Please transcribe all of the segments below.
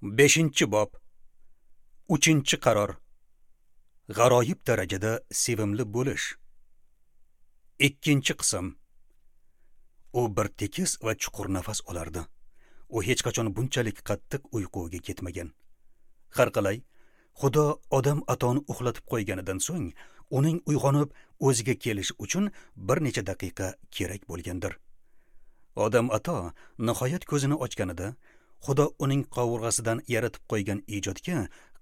5-bob. 3-qaror. G'aroyib darajada sevimli bo'lish. 2-qism. U bir tekis va chuqur nafas olardi. U hech qachon bunchalik qattiq uyquga ketmagan. Har qalay, Xudo odam atoni uxlatib qo'yganidan so'ng, uning uyg'onib o'ziga kelishi uchun bir necha daqiqa kerak bo'lgandir. Odam ato nihoyat ko'zini ochganida, Xudo uning qovurg'asidan yaratib qo'ygan ijodga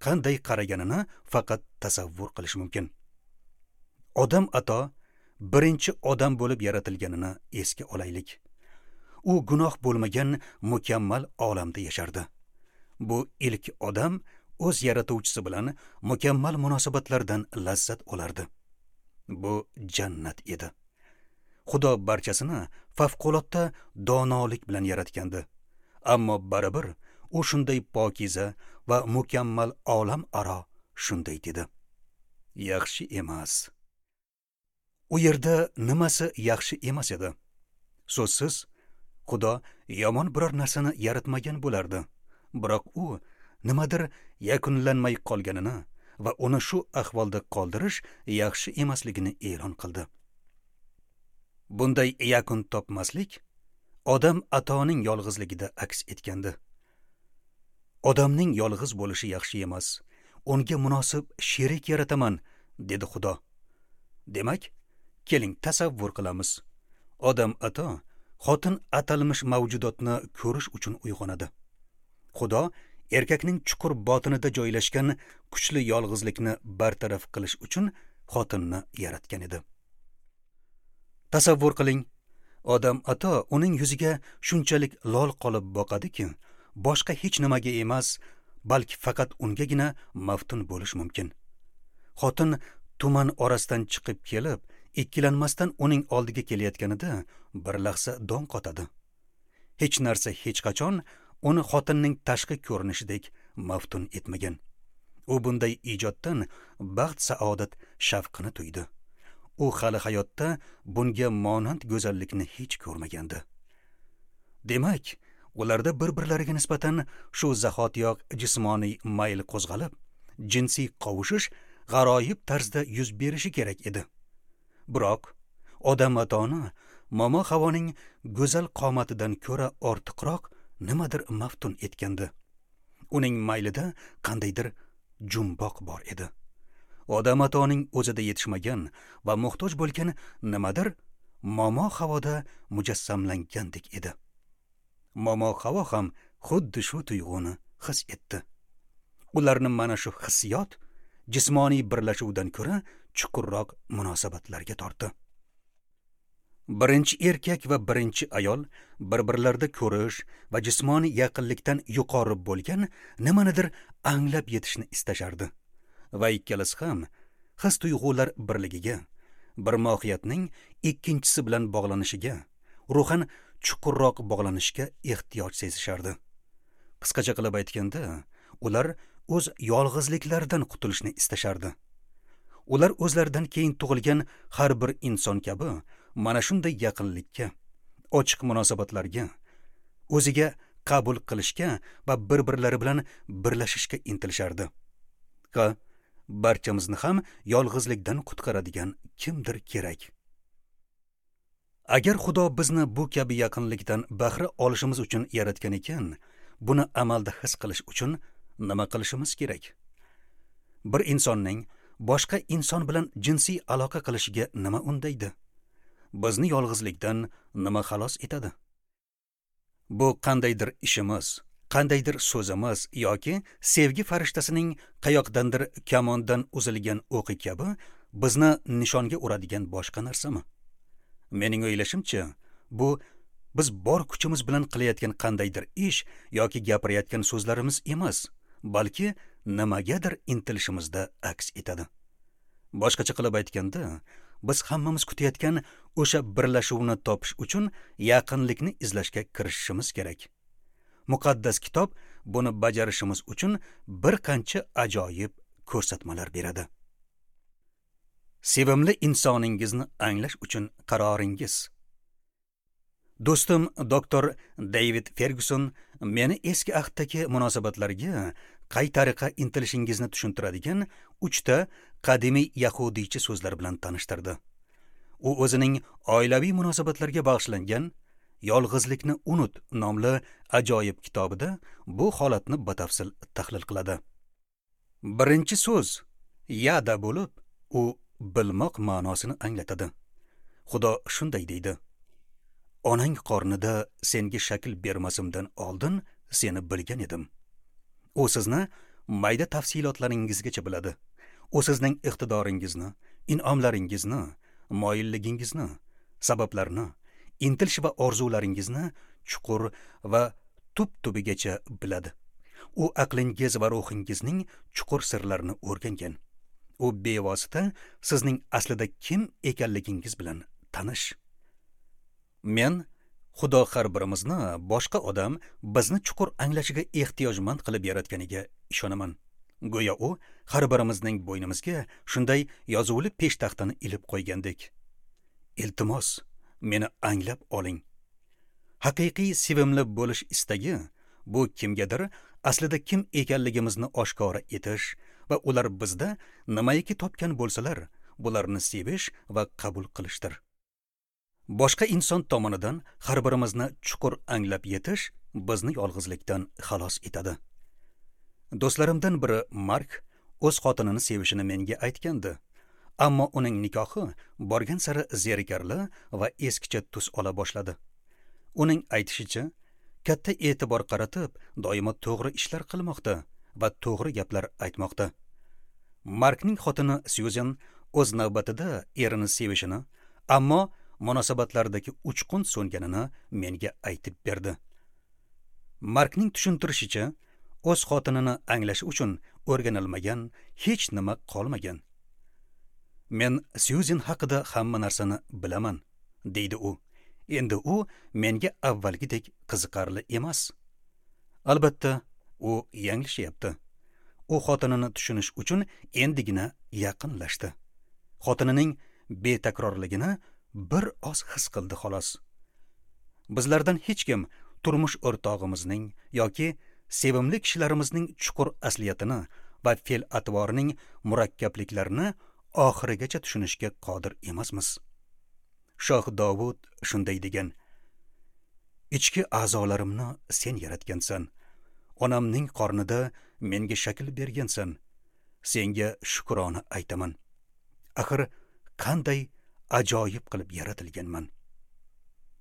qanday qaraganini faqat tasavvur qilish mumkin. Odam ato birinchi odam bo'lib yaratilganini esga olaylik. U gunoh bo'lmagan mukammal olamda yashardi. Bu ilk odam o'z yaratuvchisi bilan mukammal munosabatlardan lazzat olardi. Bu jannat edi. Xudo barchasini favqulodda donolik bilan yaratgandi. Ammo baribir u shunday pokiza va mukammal olam aro shunday dedi: yaxshi emas. U yerda nimasi yaxshi emas edi? So'zsiz, Xudo yomon biror narsani yaratmagan bo'lardi. Biroq u nimadir yakunlanmay qolganini va uni shu ahvolda qoldirish yaxshi emasligini e'lon qildi. Bunday yakun topmaslik odam atoning yolg'izligida aks etgandi. Odamning yolg'iz bo'lishi yaxshi emas. Unga munosib sherik yarataman, dedi Xudo. Demak, keling tasavvur qilamiz. Odam ato xotin atalmish mavjudotni ko'rish uchun uyg'onadi. Xudo erkakning chuqur botinida joylashgan kuchli yolg'izlikni bartaraf qilish uchun xotinni yaratgan edi. Tasavvur qiling, odam ato uning yuziga shunchalik lol qolib boqadiki, boshqa hech nimaga emas, balki faqat ungagina maftun bo'lish mumkin. Xotin tuman orasidan chiqib kelib, ikkilanmasdan uning oldiga kelayotganida bir lahza dong qotadi. Hech narsa hech qachon uni xotinning tashqi ko'rinishidek maftun etmagan. U bunday ijoddan baxt saodat shavqini tuydi. U hali hayotda bunga monand go'zallikni hech ko'rmagandi. Demak, ularda bir-birlariga nisbatan shu zahotiyoq jismoniy mayl qo'zg'alib, jinsiy qovushish g'aroyib tarzda yuz berishi kerak edi. Biroq odam atoni momo Havoning go'zal qomatidan ko'ra ortiqroq nimadir maftun etgandi. Uning maylida qandaydir jumboq bor edi. Odam atoning o'zida yetishmagan va muhtoj bo'lgan nimadir momo Havoda mujassamlangandek edi. Momo Havo ham xuddi shu tuyg'uni his etdi. Ularni mana shu hissiyot jismoniy birlashuvdan ko'ra chuqurroq munosabatlarga tortdi. Birinchi erkak va birinchi ayol bir-birlarida ko'rish va jismoniy yaqinlikdan yuqori bo'lgan nimanidir anglab yetishni istashardi. Va ikkalasi ham his tuyg'ular birligiga, bir mohiyatning ikkinchisi bilan bog'lanishiga, ruhan chuqurroq bog'lanishga ehtiyoj sezishardi. Qisqacha qilib aytganda, ular o'z yolg'izliklaridan qutulishni istashardi. Ular o'zlaridan keyin tug'ilgan har bir inson kabi mana shunday yaqinlikka, ochiq munosabatlarga, o'ziga qabul qilishga va bir-birlari bilan birlashishga intilishardi. Ha, barchamizni ham yolg'izlikdan qutqaradigan kimdir kerak. Agar Xudo bizni bu kabi yaqinlikdan bahra olishimiz uchun yaratgan ekan, buni amalda his qilish uchun nima qilishimiz kerak? Bir insonning boshqa inson bilan jinsiy aloqa qilishiga nima undaydi? Bizni yolg'izlikdan nima xalos etadi? Bu qandaydir ishimiz, qandaydir so'zimiz yoki sevgi farishtasining qayoqdandir kamondan uzilgan o'qi kabi bizni nishonga uradigan boshqa narsami? Mening o'ylashimcha, bu biz bor kuchimiz bilan qilayotgan qandaydir ish yoki gapirayotgan so'zlarimiz emas, balki nimagadir intilishimizda aks etadi. Boshqacha qilib aytganda, biz hammamiz kutayotgan o'sha birlashuvni topish uchun yaqinlikni izlashga kirishishimiz kerak. Muqaddas kitob buni bajarishimiz uchun bir qancha ajoyib ko'rsatmalar beradi. Sevimli insoningizni anglash uchun qaroringiz. Do'stim doktor David Ferguson meni eski ahddagi munosabatlarga qay tariqa intilishingizni tushuntiradigan 3 ta qadimiy yahudiycha so'zlar bilan tanishtirdi. U o'zining oilaviy munosabatlarga bag'ishlangan Yolg'izlikni unut nomli ajoyib kitobida bu holatni batafsil tahlil qiladi. Birinchi so'z yada bo'lib, u bilmoq ma'nosini anglatadi. Xudo shunday deydi: Onang qornida senga shakl bermasimdan oldin seni bilgan edim. U sizni mayda tafsilotlaringizgacha biladi. U sizning iqtidoringizni, in'omlaringizni, moyilligingizni, sabablarni, intilish va orzularingizni chuqur va tub-tubigacha biladi. U aqlingiz va ruhingizning chuqur sirlarini o'rgangan. U bevosita sizning aslida kim ekanligingiz bilan tanish. Men Xudo har birimizni boshqa odam bizni chuqur anglashiga ehtiyojmand qilib yaratganiga ishonaman. Go'yo u har birimizning bo'ynimizga shunday yozuvli peshtaxtani ilib qo'ygandek. Iltimos, meni anglab oling. Haqiqiy sevimli bo'lish istagi bu kimgadir aslida kim ekanligimizni oshkora etish va ular bizda nimaiki topgan bo'lsalar, bularni sevish va qabul qilishdir. Boshqa inson tomonidan har birimizni chuqur anglab yetish bizni yolg'izlikdan xalos etadi. Do'stlarimdan biri Mark o'z xotinini sevishini menga aytgandi. Ammo uning nikohi borgan sari zerikarli va eskicha tus ola boshladi. Uning aytishicha, katta e'tibor qaratib, doimo to'g'ri ishlar qilmoqda va to'g'ri gaplar aytmoqda. Markning xotini Syuzen o'z navbatida erini sevishini, ammo munosabatlardagi uchqun so'nganini menga aytib berdi. Markning tushuntirishicha, o'z xotinini anglash uchun o'rganilmagan hech nima qolmagan. Men Syuzen haqida hamma narsani bilaman, deydi u. Endi u menga avvalgidek qiziqarli emas. Albatta, u yanglishyapti. U xotinini tushunish uchun endigina yaqinlashdi. Xotinining betakrorligini bir oz his qildi xolos. Bizlardan hech kim turmush o'rtog'imizning yoki sevimli kishilarimizning chuqur asliyatini va fe'l-atvorining murakkabliklarini oxirigacha tushunishga qodir emasmiz. Shoh Dovud shunday degan: Ichki a'zolarimni sen yaratgansan. Onamning qornida menga shakl bergansan. Senga shukrona aytaman. Axir qanday ajoyib qilib yaratilganman.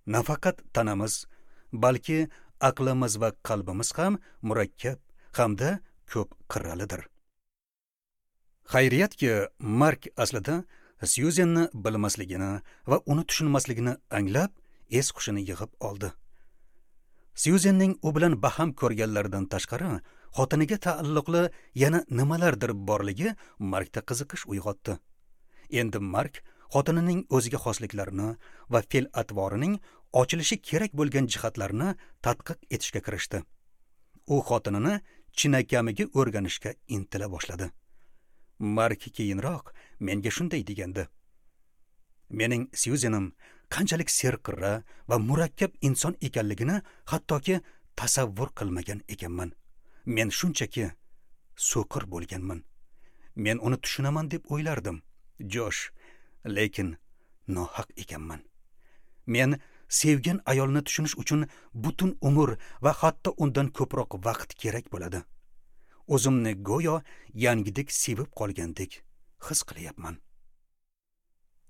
Nafaqat tanamiz, balki aqlimiz va qalbimiz ham murakkab hamda ko'p qirralidir. Xayriyatki, Mark aslida Syuzenni bilmasligini va uni tushunmasligini anglab, es-hushini yig'ib oldi. Syuzenning u bilan baham ko'rganlaridan tashqari, xotiniga taalluqli yana nimalardir borligi Markda qiziqish uyg'otdi. Endi Mark xotinining o'ziga xosliklarini va fe'l-atvorining ochilishi kerak bo'lgan jihatlarini tadqiq etishga kirishdi. U xotinini chinakamiga o'rganishga intila boshladi. Mark keyinroq menga shunday degandi: Mening Syuzenim qanchalik serqirra va murakkab inson ekanligini hattoki tasavvur qilmagan ekanman. Men shunchaki so'qir bo'lganman. Men uni tushunaman deb o'ylardim, Josh, lekin nohaq ekanman. Men sevgan ayolni tushunish uchun butun umr va hatto undan ko'proq vaqt kerak bo'ladi. O'zimni go'yo yangidek sevib qolgandek his qilyapman.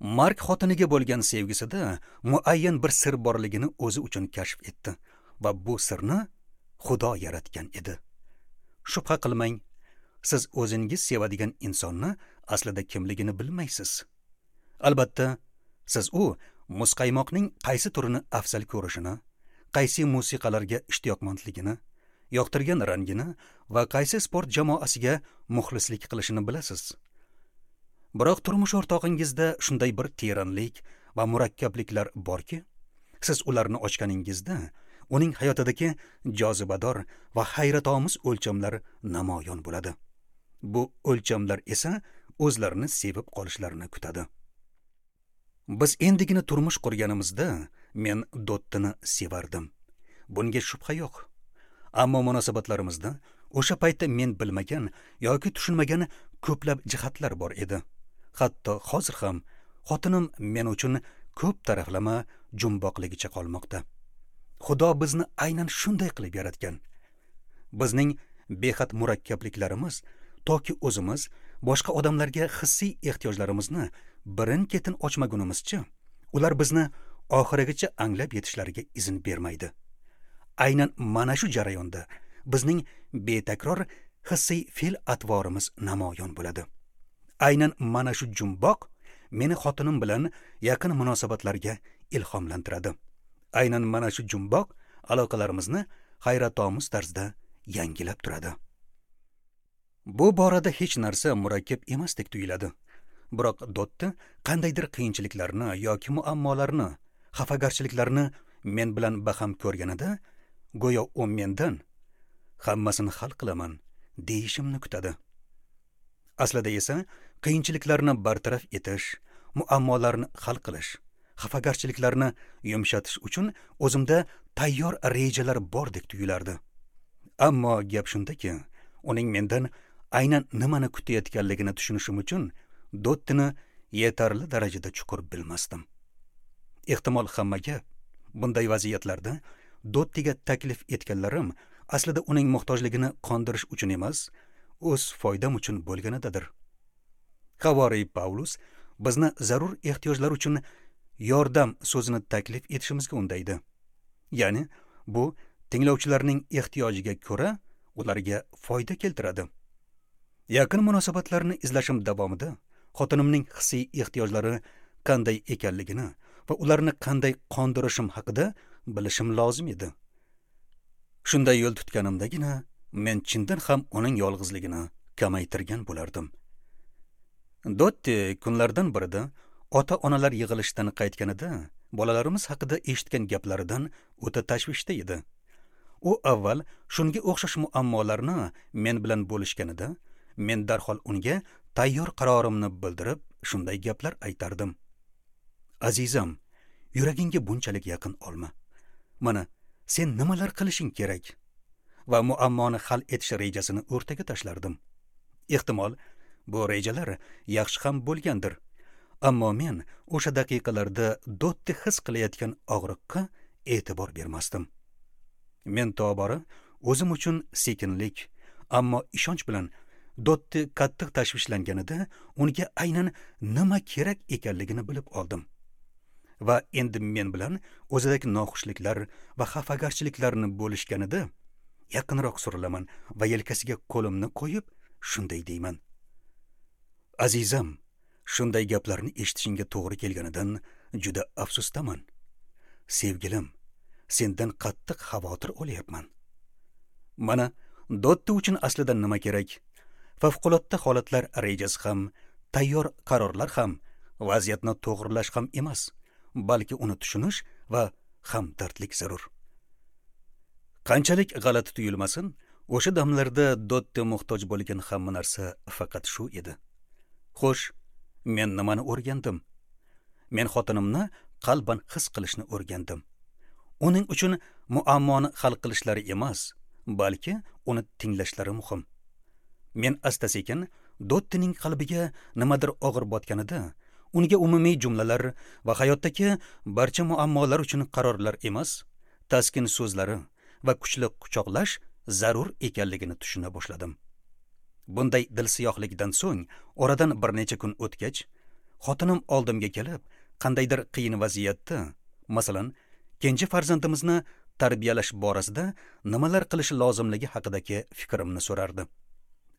Mark xotiniga bo'lgan sevgisida muayyan bir sir borligini o'zi uchun kashf etdi va bu sirni Xudo yaratgan edi. Shubha qilmang, siz o'zingiz sevadigan insonni aslida kimligini bilmaysiz. Albatta, siz u muzqaymoqning qaysi turini afzal ko'rishini, qaysi musiqalarga ishtiyoqmandligini, yoqtirgan rangini va qaysi sport jamoasiga muxlislik qilishini bilasiz. Biroq turmush o'rtog'ingizda shunday bir teranlik va murakkabliklar borki, siz ularni ochganingizda uning hayotidagi jozibador va hayratomuz o'lchamlar namoyon bo'ladi. Bu o'lchamlar esa o'zlarini sevib qolishlarini kutadi. Biz endigina turmush qurganimizda Men Dottini sevardim. Bunga shubha yo'q. Ammo munosabatlarimizda o'sha paytda men bilmagan yoki tushunmagan ko'plab jihatlar bor edi. Hatto hozir ham xotinim men uchun ko'p taraflama jumboqligicha qolmoqda. Xudo bizni aynan shunday qilib yaratgan. Bizning behad murakkabliklarimiz toki o'zimiz boshqa odamlarga hissiy ehtiyojlarimizni birin-ketin ochmagunimizcha, ular bizni oxirigacha anglab yetishlariga izn bermaydi. Aynan mana shu jarayonda bizning betakror hissiy fe'l-atvorimiz namoyon bo'ladi. Aynan mana shu jumboq meni xotinim bilan yaqin munosabatlarga ilhomlantiradi. Aynan mana shu jumboq aloqalarimizni hayratomuz tarzda yangilab turadi. Bu borada hech narsa murakkab emasdek tuyuladi. Biroq Dotti qandaydir qiyinchiliklarni yoki muammolarni, xafagarchiliklarni men bilan baham ko'rganida, go'yo u mendan hammasini hal qilaman deyishimni kutadi. Aslida esa qiyinchiliklarni bartaraf etish, muammolarni hal qilish, xafagarchiliklarni yumshatish uchun o'zimda tayyor rejalar bordek tuyulardi. Ammo gap shundaki, uning mendan aynan nimani kutayotganligini tushunishim uchun Dottini yetarli darajada chuqur bilmasdim. Ehtimol hamma gap bunday vaziyatlarda Dottiga taklif etganlarim aslida uning muhtojligini qondirish uchun emas, o'z foydam uchun bo'lganidadir. Havoriy Pavlus bizni zarur ehtiyojlar uchun yordam so'zini taklif etishimizga undaydi. Ya'ni bu tinglovchilarning ehtiyojiga ko'ra ularga foyda keltiradi. Yaqin munosabatlarni izlashim davomida xotinimning hissiy ehtiyojlari qanday ekanligini va ularni qanday qondirishim haqida bilishim lozim edi. Shunday yo'l tutganimdagina men chindan ham uning yolg'izligini kamaytirgan bo'lardim. Dotti kunlardan birida ota-onalar yig'ilishidan qaytganida bolalarimiz haqida eshitgan gaplaridan o'ta tashvishda edi. U avval shunga o'xshash muammolarni men bilan bo'lishganida, men darhol unga tayyor qarorimni bildirib, shunday gaplar aytardim. Azizam, yuragingga bunchalik yaqin olma. Mana, sen nimalar qilishing kerak? Va muammoni hal etish rejasini o'rtaga tashlardim. Ehtimol, bu rejalar yaxshi ham bo'lgandir. Ammo men o'sha daqiqalarda Dotti his qilayotgan og'riqqa e'tibor bermasdim. Men tobora o'zim uchun sekinlik, ammo ishonch bilan Dotti qattiq tashvishlanganida unga aynan nima kerak ekanligini bilib oldim. Va endi men bilan o'zidagi noxushliklar va xafagarchiliklarni bo'lishganida yaqinroq surilaman va yelkasiga qo'limni qo'yib shunday deyman: Azizam, shunday gaplarni eshitishingga to'g'ri kelganidan juda afsusdaman. Sevgilim, sendan qattiq xavotir olyapman. Mana Dotti uchun aslida nima kerak? Favqulodda holatlar rejasi ham, tayyor qarorlar ham, vaziyatni to'g'rilash ham emas, balki uni tushunish va hamdardlik zarur. Qanchalik g'alati tuyulmasin, o'sha damlarda Dotti muhtoj bo'lgan hamma narsa faqat shu edi. Xo'sh, men nimani o'rgandim? Men xotinimni qalban his qilishni o'rgandim. Uning uchun muammoni hal qilishlari emas, balki uni tinglashlari muhim. Men asta-sekin Dottining qalbiga nimadir og'ir botganida, unga umumiy jumlalar va hayotdagi barcha muammolar uchun qarorlar emas, taskin so'zlari va kuchli quchoqlash zarur ekanligini tushuna boshladim. Bunday dilsiyohlikdan so'ng oradan bir necha kun o'tgach, xotinim oldimga kelib, qandaydir qiyin vaziyatda, masalan, kenja farzandimizni tarbiyalash borasida nimalar qilish lozimligi haqidagi fikrimni so'rardi.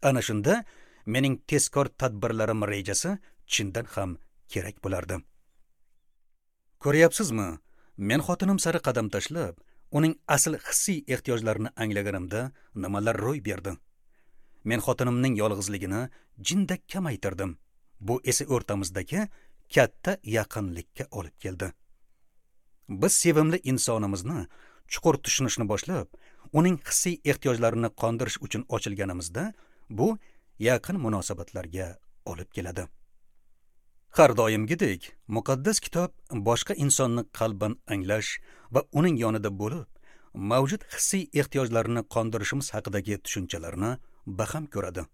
Ana shunda mening tezkor tadbirlarim rejasi chindan ham kerak bo'lardi. Ko'ryapsizmi? Men xotinim sari qadam tashlab, uning asl hissiy ehtiyojlarini anglaganimda nimalar ro'y berdi? Men xotinimning yolg'izligini jindak kamaytirdim. Bu esa o'rtamizdagi katta yaqinlikka olib keldi. Biz sevimli insonimizni chuqur tushunishni boshlab, uning hissiy ehtiyojlarini qondirish uchun ochilganimizda, bu yaqin munosabatlarga olib keladi. Har doimgidek muqaddas kitob boshqa insonni qalban anglash va uning yonida bo'lib, mavjud hissiy ehtiyojlarini qondirishimiz haqidagi tushunchalarni baham ko'radi.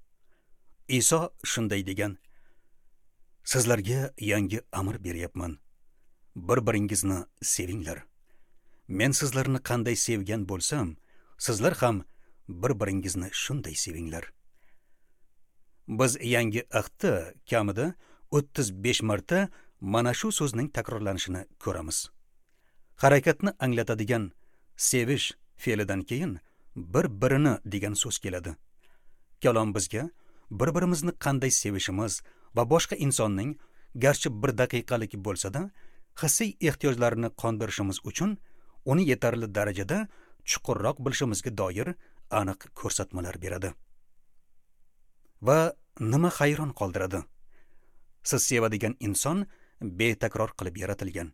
Iso shunday degan: Sizlarga yangi amr beryapman. Bir-biringizni sevinglar. Men sizlarni qanday sevgan bo'lsam, sizlar ham bir-biringizni shunday sevinglar. Biz yangi ahdda kamida 35 marta mana shu so'zning takrorlanishini ko'ramiz. Harakatni anglatadigan sevish fe'lidan keyin bir-birini degan so'z keladi. Kalom bizga bir-birimizni qanday sevishimiz va boshqa insonning garchi bir daqiqalik bo'lsa-da hissiy ehtiyojlarini qondirishimiz uchun uni yetarli darajada chuqurroq bilishimizga doir aniq ko'rsatmalar beradi. Va nima hayron qoldiradi? Siz sevadigan inson betakror qilib yaratilgan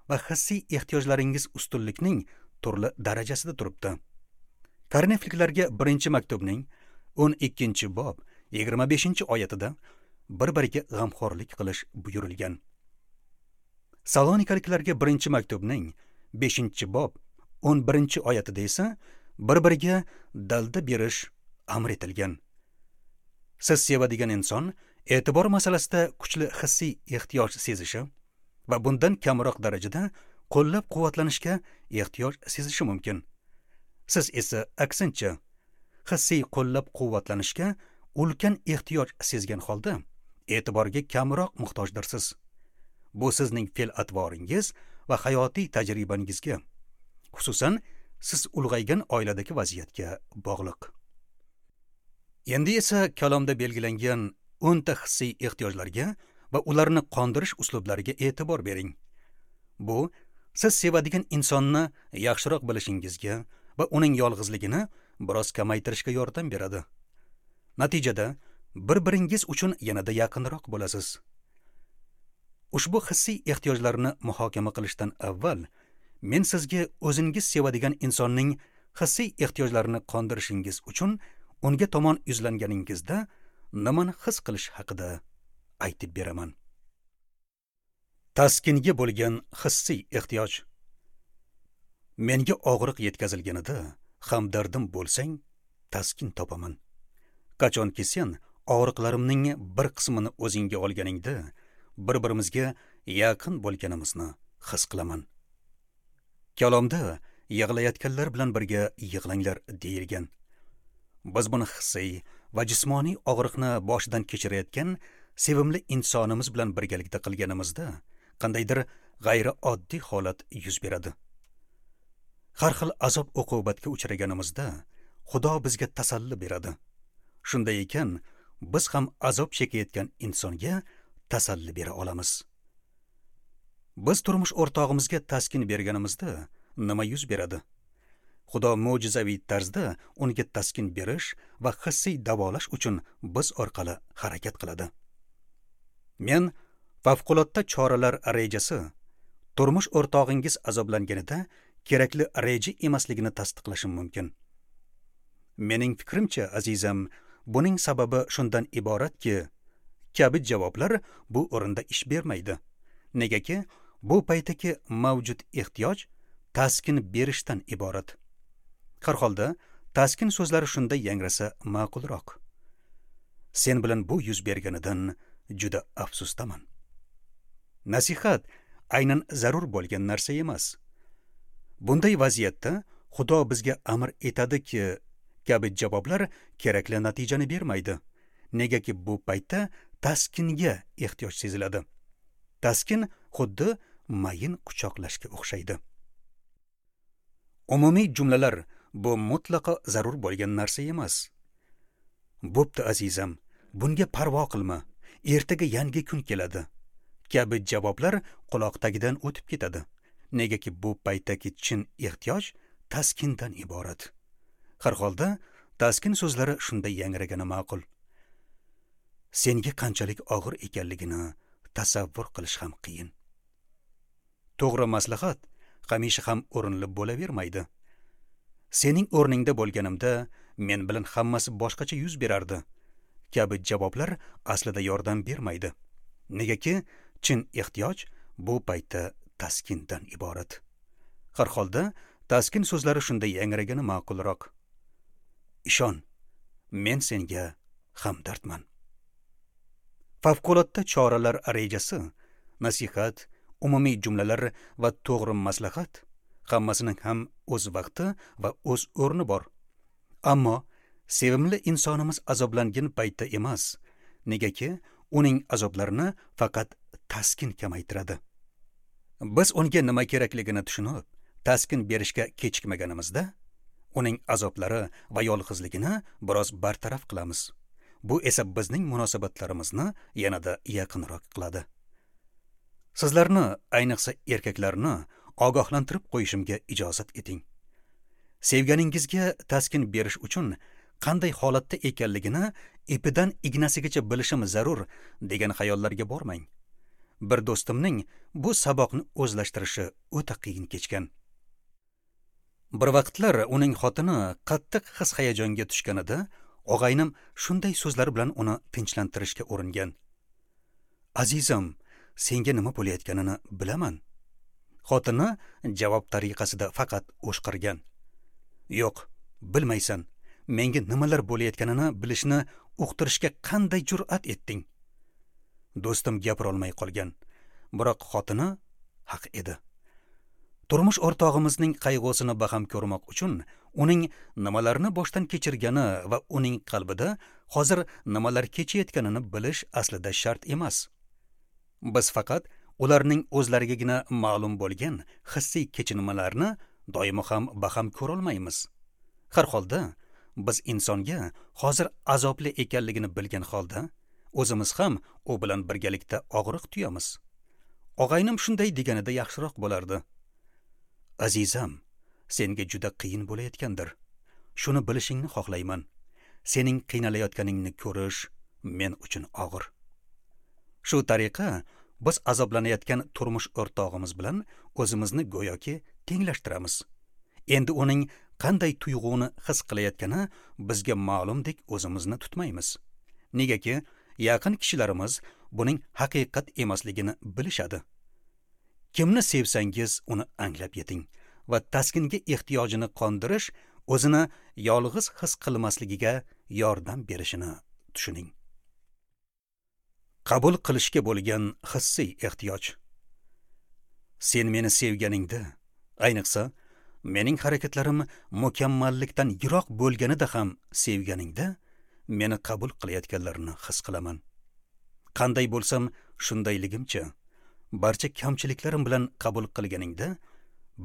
va hissiy ehtiyojlaringiz ustunlikning turli darajasida turibdi. Korinfliklarga 1-maktubning 12-bob 25-oyatida bir-biriga g'amxo'rlik qilish buyurilgan. Salonikaliklarga 1-maktubning 5-bob 11-oyatida esa bir-biriga dalda berish amr etilgan. Siz sevadigan inson e'tibor masalasida kuchli hissiy ehtiyoj sezishi va bundan kamroq darajada qo'llab-quvvatlanishga ehtiyoj sezishi mumkin. Siz esa aksincha hissiy qo'llab-quvvatlanishga ulkan ehtiyoj sezgan holda e'tiborga kamroq muhtojdirsiz. Bu sizning fe'l-atvoringiz va hayotiy tajribangizga, xususan siz ulg'aygan oiladagi vaziyatga bog'liq. Endi esa kalomda belgilangan 10 ta hissiy ehtiyojlarga va ularni qondirish uslublariga e'tibor bering. Bu siz sevadigan insonni yaxshiroq bilishingizga va uning yolg'izligini biroz kamaytirishga yordam beradi. Natijada bir-biringiz uchun yanada yaqinroq bo'lasiz. Ushbu hissiy ehtiyojlarni muhokama qilishdan avval men sizga o'zingiz sevadigan insonning hissiy ehtiyojlarini qondirishingiz uchun unga tomon yuzlanganingizda nimani his qilish haqida aytib beraman. Taskinga bo'lgan hissiy ehtiyoj. Menga og'riq yetkazilganida hamdardim bo'lsang, taskin topaman. Qachonki sen og'riqlarimning bir qismini o'zingga olganingda, bir-birimizga yaqin bo'lganimizni his qilaman. Kalomda yig'layotganlar bilan birga yig'langlar deyilgan. Biz buni hissiy va jismoniy og'riqni boshidan kechirayotgan sevimli insonimiz bilan birgalikda qilganimizda qandaydir g'ayrioddiy holat yuz beradi. Har xil azob uqubatga uchraganimizda Xudo bizga tasalli beradi. Shunday ekan, biz ham azob chekayotgan insonga tasalli bera olamiz. Biz turmush o'rtog'imizga taskin berganimizda nima yuz beradi? Xudo mo'jizaviy tarzda unga taskin berish va hissiy davolash uchun biz orqali harakat qiladi. Men favqulodda choralar rejasi turmush o'rtog'ingiz azoblanganida kerakli reja emasligini tasdiqlashim mumkin. Mening fikrimcha, azizam, buning sababi shundan iboratki, kabi javoblar bu o'rinda ish bermaydi. Negaki, bu paytdagi mavjud ehtiyoj taskin berishdan iborat. Har holda taskin so'zlari shunday yangrasa ma'qulroq. Sen bilan bu yuz berganidan juda afsusdaman. Nasihat aynan zarur bo'lgan narsa emas. Bunday vaziyatda Xudo bizga amr etadiki kabi javoblar kerakli natijani bermaydi. Negaki bu paytda taskinga ehtiyoj seziladi. Taskin xuddi mayin quchoqlashga o'xshaydi. Umumiy jumlalar bu mutlaqo zarur bo'lgan narsa emas. Bo'pti azizam, bunga parvo qilma. Ertaga yangi kun keladi. Kabi javoblar quloq tagidan o'tib ketadi. Negaki bu paytdagi chin ehtiyoj taskindan iborat. Har holda taskin so'zlari shunday yangragani ma'qul. Senga qanchalik og'ir ekanligini tasavvur qilish ham qiyin. To'g'ri maslahat hamisha ham o'rinli bo'lavermaydi. Sening o'rningda bo'lganimda men bilan hammasi boshqacha yuz berardi. Kabi javoblar aslida yordam bermaydi. Negaki Chin ehtiyoj bu paytda taskindan iborat. Har holda taskin so'zlari shunday yangragani ma'qulroq. Ishon, men senga hamdardman. Favqulodda choralar rejasi, nasihat, umumiy jumlalar va to'g'ri maslahat hammasining ham o'z vaqti va o'z o'rni bor. Ammo sevimli insonimiz azoblangan paytda emas, negaki uning azoblarini faqat taskin kamaytiradi. Biz unga nima kerakligini tushunib, taskin berishga kechikmaganimizda, uning azoblari va yolg'izligini biroz bartaraf qilamiz. Bu esa bizning munosabatlarimizni yanada yaqinroq qiladi. Sizlarni, ayniqsa erkaklarni ogohlantirib qo'yishimga ijozat eting. Sevganingizga taskin berish uchun qanday holatda ekanligini ipidan ignasigacha bilishim zarur degan xayollarga bormang. Bir do'stimning bu saboqni o'zlashtirishi o'ta qiyin kechgan. Bir vaqtlar uning xotini qattiq his-hayajonga tushganida, og'aynim shunday so'zlar bilan uni tinchlantirishga uringan. Azizim, senga nima bo'layotganini bilaman. Xotini javob tariqasida faqat o'shqirgan. Yo'q, bilmaysan. Menga nimalar bo'layotganini bilishni uqtirishga qanday jur'at etding? Do'stim gapira olmay qolgan. Biroq xotini haq edi. Turmush o'rtog'imizning qayg'usini baham ko'rmoq uchun uning nimalarni boshdan kechirgani va uning qalbida hozir nimalar kechayotganini bilish aslida shart emas. Biz faqat ularning o'zlarigagina ma'lum bo'lgan hissiy kechinmalarni doimo ham baham ko'ra olmaymiz. Har holda biz insonga hozir azobli ekanligini bilgan holda o'zimiz ham u bilan birgalikda og'riq tuyamiz. Og'aynim shunday deganida yaxshiroq bo'lardi. Azizam, senga juda qiyin bo'layotgandir. Shuni bilishingni xohlayman. Sening qiynalayotganingni ko'rish men uchun og'ir. Shu tariqa biz azoblanayotgan turmush o'rtog'imiz bilan o'zimizni go'yoki tenglashtiramiz. Endi uning qanday tuyg'uni his qilayotgani bizga ma'lumdek o'zimizni tutmaymiz. Negaki yaqin kishilarimiz buning haqiqat emasligini bilishadi. Kimni sevsangiz uni anglab yeting va taskinga ehtiyojini qondirish o'zini yolg'iz his qilmasligiga yordam berishini tushuning. Qabul qilishga bo'lgan hissiy ehtiyoj. Sen meni sevganingda, ayniqsa mening harakatlarim mukammallikdan yiroq bo'lganida ham sevganingda, meni qabul qilayotganlarini his qilaman. Qanday bo'lsam shundayligimcha, barcha kamchiliklarim bilan qabul qilganingda,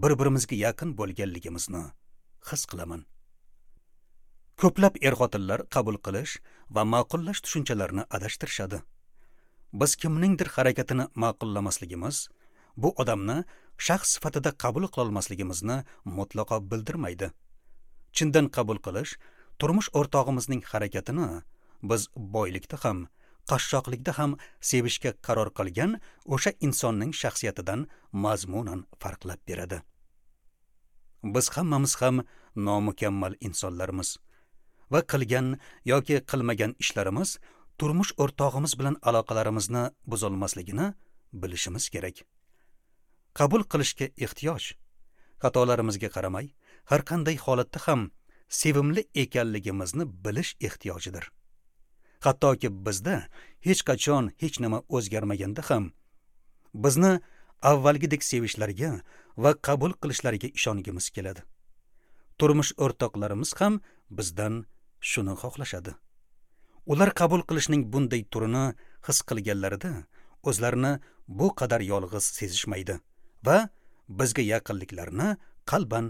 bir-birimizga yaqin bo'lganligimizni his qilaman. Ko'plab er-xotinlar qabul qilish va ma'qullash tushunchalarini adashtirishadi. Biz kimningdir harakatini ma'qullamasligimiz, bu odamni shaxs sifatida qabul qila olmasligimizni mutlaqo bildirmaydi. Chindan qabul qilish turmush o'rtog'imizning harakatini biz boylikda ham, qashshoqlikda ham sevishga qaror qilgan o'sha insonning shaxsiyatidan mazmunan farqlab beradi. Biz hammamiz ham nomukammal insonlarmiz va qilgan yoki qilmagan ishlarimiz turmush o'rtog'imiz bilan aloqalarimizni buzolmasligini bilishimiz kerak. Qabul qilishga ehtiyoj, xatolarimizga qaramay, har qanday holatda ham sevimli ekanligimizni bilish ehtiyojidir. Hattoki bizda hech qachon hech nima o'zgarmaganda ham bizni avvalgidek sevishlariga va qabul qilishlariga ishongimiz keladi. Turmush o'rtoqlarimiz ham bizdan shuni xohlashadi. Ular qabul qilishning bunday turini his qilganlarida o'zlarini bu qadar yolg'iz sezishmaydi va bizga yaqinliklarini qalban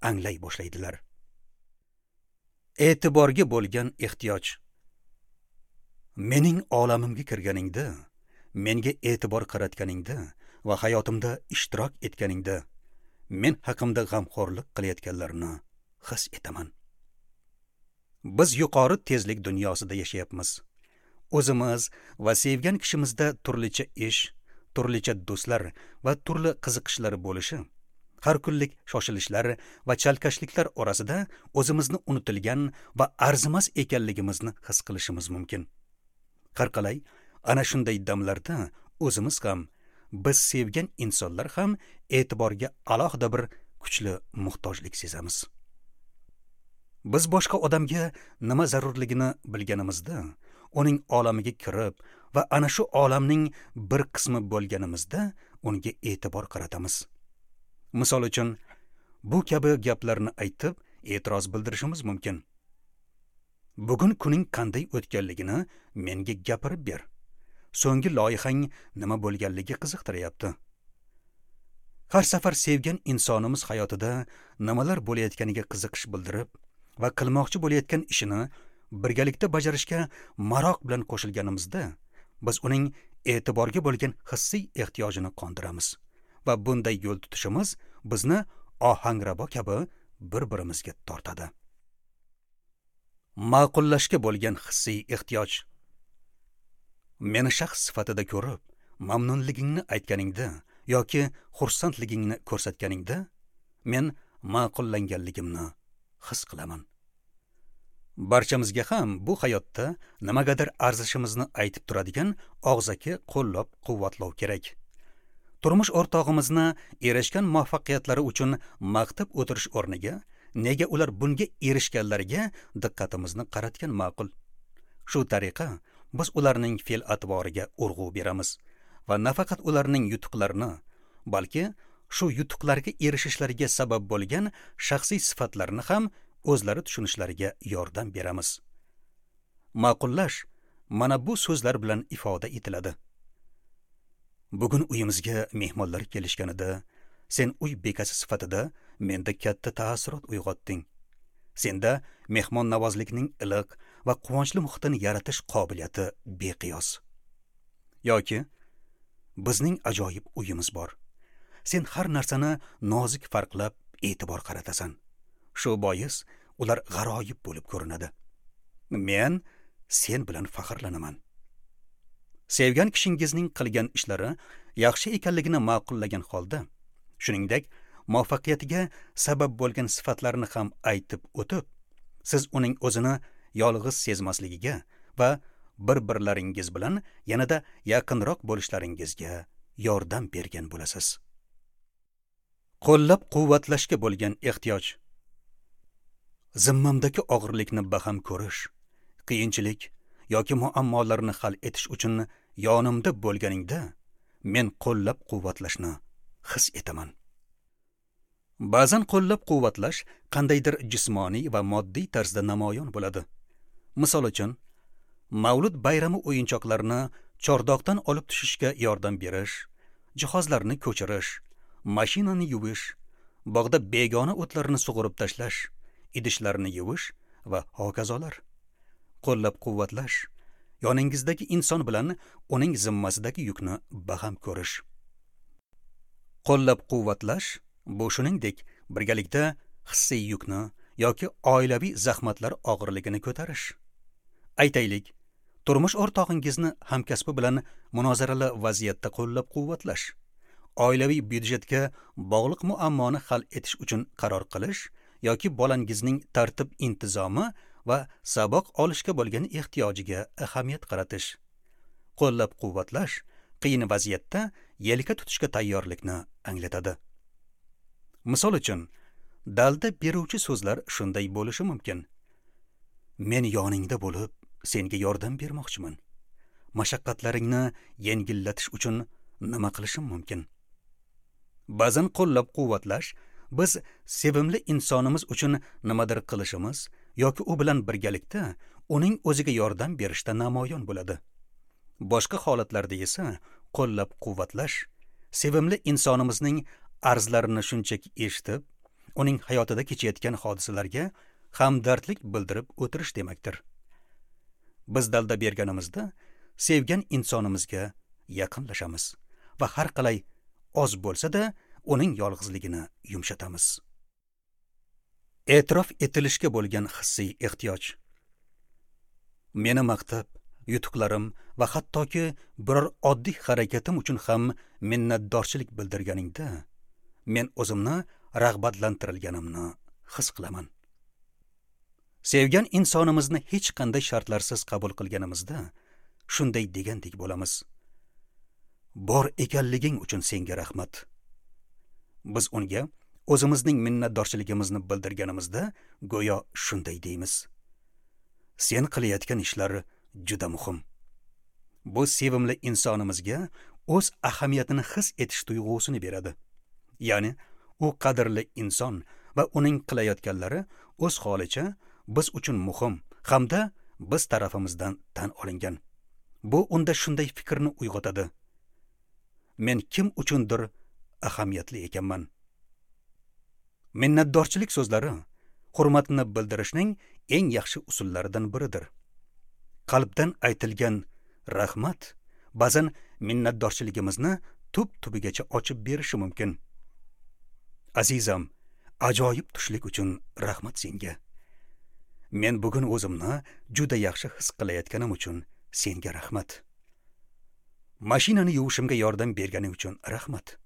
anglay boshlaydilar. E'tiborga bo'lgan ehtiyoj. Mening olamimga kirganingda, menga e'tibor qaratganingda va hayotimda ishtirok etganingda, men haqimda g'amxo'rlik qilayotganlarni his etaman. Biz yuqori tezlik dunyosida yashayapmiz. O'zimiz va sevgan kishimizda turlicha ish, turlicha do'stlar va turli qiziqishlar bo'lishi, har kunlik shoshilishlar va chalkashliklar orasida o'zimizni unutilgan va arzimas ekanligimizni his qilishimiz mumkin. Har qalay, ana shunday damlarda O'zimiz ham, biz sevgan insonlar ham e'tiborga alohida bir kuchli muhtojlik sezamiz. Biz boshqa odamga nima zarurligini bilganimizda, uning olamiga kirib va ana shu olamning bir qismi bo'lganimizda unga e'tibor qaratamiz. Misol uchun, bu kabi gaplarni aytib e'tiroz bildirishimiz mumkin. Bugun kuning qanday o'tganligini menga gapirib ber. So'nggi loyihang nima bo'lganligi qiziqtiryapti. Har safar sevgan insonimiz hayotida nimalar bo'layotganiga qiziqish bildirib va qilmoqchi bo'layotgan ishini birgalikda bajarishga maroq bilan qo'shilganimizda, biz uning e'tiborga bo'lgan hissiy ehtiyojini qondiramiz va bunday yo'l tutishimiz bizni ohangrabo kabi bir-birimizga tortadi. Ma'qullashga bo'lgan hissiy ehtiyoj. Meni shaxs sifatida ko'rib, mamnunligingni aytganingda yoki xursandligingni ko'rsatganingda, men ma'qullanganligimni his qilaman. Barchamizga ham bu hayotda nimagadir arzishimizni aytib turadigan og'zaki qo'llab-quvvatlov kerak. Turmush o'rtog'imizni erishgan muvaffaqiyatlari uchun maqtab o'tirish o'rniga, nega ular bunga erishganlariga diqqatimizni qaratgan ma'qul. Shu tariqa biz ularning fe'l-atvoriga urg'u beramiz va nafaqat ularning yutuqlarini, balki shu yutuqlarga erishishlariga sabab bo'lgan shaxsiy sifatlarini ham o'zlari tushunishlariga yordam beramiz. Ma'qullash mana bu so'zlar bilan ifoda etiladi. Bugun uyimizga mehmonlar kelishganida, sen uy bekasi sifatida menda katta taassurot uyg'otding. Senda mehmonnavozlikning iliq va quvonchli muhitini yaratish qobiliyati beqiyos. Yoki bizning ajoyib uyimiz bor. Sen har narsani nozik farqlab e'tibor qaratasan. Shu bois ular g'aroyib bo'lib ko'rinadi. Men sen bilan faxrlanaman. Sevgan kishingizning qilgan ishlari yaxshi ekanligini ma'qullagan holda, shuningdek, muvaffaqiyatiga sabab bo'lgan sifatlarni ham aytib o'tib, siz uning o'zini yolg'iz sezmasligiga va bir-birlaringiz bilan yanada yaqinroq bo'lishlaringizga yordam bergan bo'lasiz. Qo'llab-quvvatlashga bo'lgan ehtiyoj. Zimmamdagi og'irlikni baham ko'rish, qiyinchilik yoki muammolarni hal etish uchun yonimda bo'lganingda, men qo'llab-quvvatlashni his etaman. Ba'zan qo'llab-quvvatlash qandaydir jismoniy va moddiy tarzda namoyon bo'ladi. Misol uchun, mavlud bayrami o'yinchoqlarini chordoqdan olib tushishga yordam berish, jihozlarni ko'chirish, mashinani yuvish, bog'da begona o'tlarni sug'urib tashlash, idishlarni yuvish va hokazolar. Qo'llab-quvvatlash yoningizdagi inson bilan uning zimmasidagi yukni baham ko'rish. Qo'llab-quvvatlash bu shuningdek birgalikda hissiy yukni yoki oilaviy zahmatlar og'irligini ko'tarish. Aytaylik, turmush o'rtog'ingizni hamkasbi bilan munozarali vaziyatda qo'llab-quvvatlash, oilaviy byudjetga bog'liq muammoni hal etish uchun qaror qilish yoki bolangizning tartib-intizomi va saboq olishga bo'lgan ehtiyojiga ahamiyat qaratish. Qo'llab-quvvatlash qiyin vaziyatda yelka tutishga tayyorlikni anglatadi. Misol uchun, dalda beruvchi so'zlar shunday bo'lishi mumkin: Men yoningda bo'lib, senga yordam bermoqchiman. Mashaqqatlaringni yengillatish uchun nima qilishim mumkin? Ba'zan qo'llab-quvvatlash biz sevimli insonimiz uchun nimadir qilishimiz yoki u bilan birgalikda uning o'ziga yordam berishda namoyon bo'ladi. Boshqa holatlarda esa qo'llab-quvvatlash sevimli insonimizning arzlarini shunchaki eshitib, uning hayotida kechayotgan hodisalarga hamdardlik bildirib o'tirish demakdir. Biz dalda berganimizda sevgan insonimizga yaqinlashamiz va har qalay oz bo'lsa-da uning yolg'izligini yumshatamiz. E'tirof etilishga bo'lgan hissiy ehtiyoj. Meni maqtab, yutuqlarim va hattoki biror oddiy harakatim uchun ham minnatdorchilik bildirganingda, men o'zimni rag'batlantirilganimni his qilaman. Sevgan insonimizni hech qanday shartlarsiz qabul qilganimizda shunday degandek bo'lamiz: Bor ekanliging uchun senga rahmat. Biz unga o'zimizning minnatdorchiligimizni bildirganimizda go'yo shunday deymiz: Sen qilayotgan ishlar juda muhim. Bu sevimli insonimizga o'z ahamiyatini his etish tuyg'usini beradi. Ya'ni u qadrli inson va uning qilayotganlari o'z holicha biz uchun muhim hamda biz tarafimizdan tan olingan. Bu unda shunday fikrni uyg'otadi: Men kim uchundir ahamiyatli ekanman. Minnatdorchilik so'zlari hurmatni bildirishning eng yaxshi usullaridan biridir. Qalbdan aytilgan rahmat ba'zan minnatdorchiligimizni tub-tubigacha ochib berishi mumkin. Azizam, ajoyib tushlik uchun rahmat senga. Men bugun o'zimni juda yaxshi his qilayotganim uchun senga rahmat. Mashinani yuvishimga yordam berganing uchun rahmat.